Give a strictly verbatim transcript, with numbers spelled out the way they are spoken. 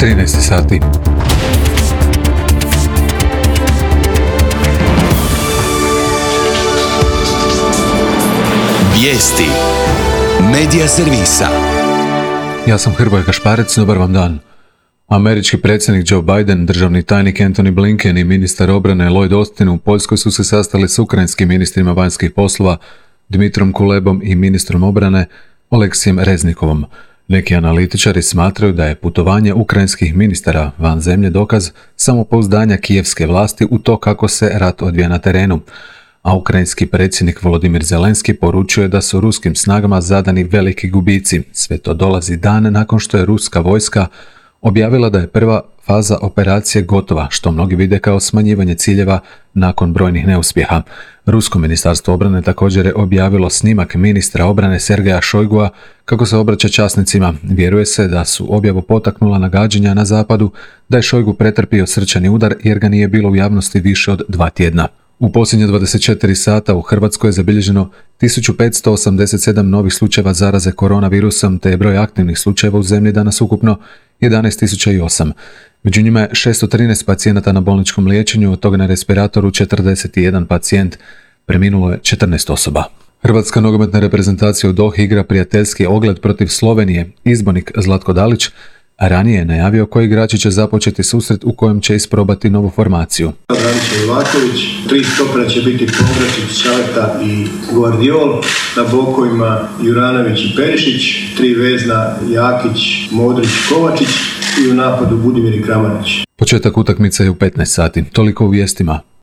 trinaest sati. Vijesti Medija servisa. Ja sam Hrvoje Kašparec, dobar vam dan. Američki predsjednik Joe Biden, državni tajnik Antony Blinken i ministar obrane Lloyd Austin u Poljskoj su se sastali s ukrajinskim ministrima vanjskih poslova Dmitrom Kulebom i ministrom obrane Oleksijem Reznikovom. Neki analitičari smatraju da je putovanje ukrajinskih ministara van zemlje dokaz samopouzdanja kijevske vlasti u to kako se rat odvija na terenu. A ukrajinski predsjednik Volodimir Zelenski poručuje da su ruskim snagama zadani veliki gubici. Sve to dolazi dan nakon što je ruska vojska objavila da je prva faza operacije gotova, što mnogi vide kao smanjivanje ciljeva nakon brojnih neuspjeha. Rusko ministarstvo obrane također je objavilo snimak ministra obrane Sergeja Šojgua kako se obraća časnicima. Vjeruje se da su objavu potaknula nagađanja na zapadu da je Šojgu pretrpio srčani udar jer ga nije bilo u javnosti više od dva tjedna. U posljednje dvadeset četiri sata u Hrvatskoj je zabilježeno tisuću petsto osamdeset sedam novih slučajeva zaraze koronavirusom, te je broj aktivnih slučajeva u zemlji danas ukupno jedanaest tisuća osam. Među njima je šesto trinaest pacijenata na bolničkom liječenju, od toga na respiratoru četrdeset jedan pacijent, preminulo je četrnaest osoba. Hrvatska nogometna reprezentacija u Dohi igra prijateljski ogled protiv Slovenije. Izbornik Zlatko Dalić a ranije je najavio koji igrači će započeti susret u kojem će isprobati novu formaciju. Branislav Ivaković, tri stopera će biti Povračić, Šaleta i Guardiol, na bokovima Juranović i Perišić, tri vezna Jakić, Modrić, Kovačić i u napadu Budimir i Kramarić. Početak utakmice je u petnaest sati. Toliko u vijestima.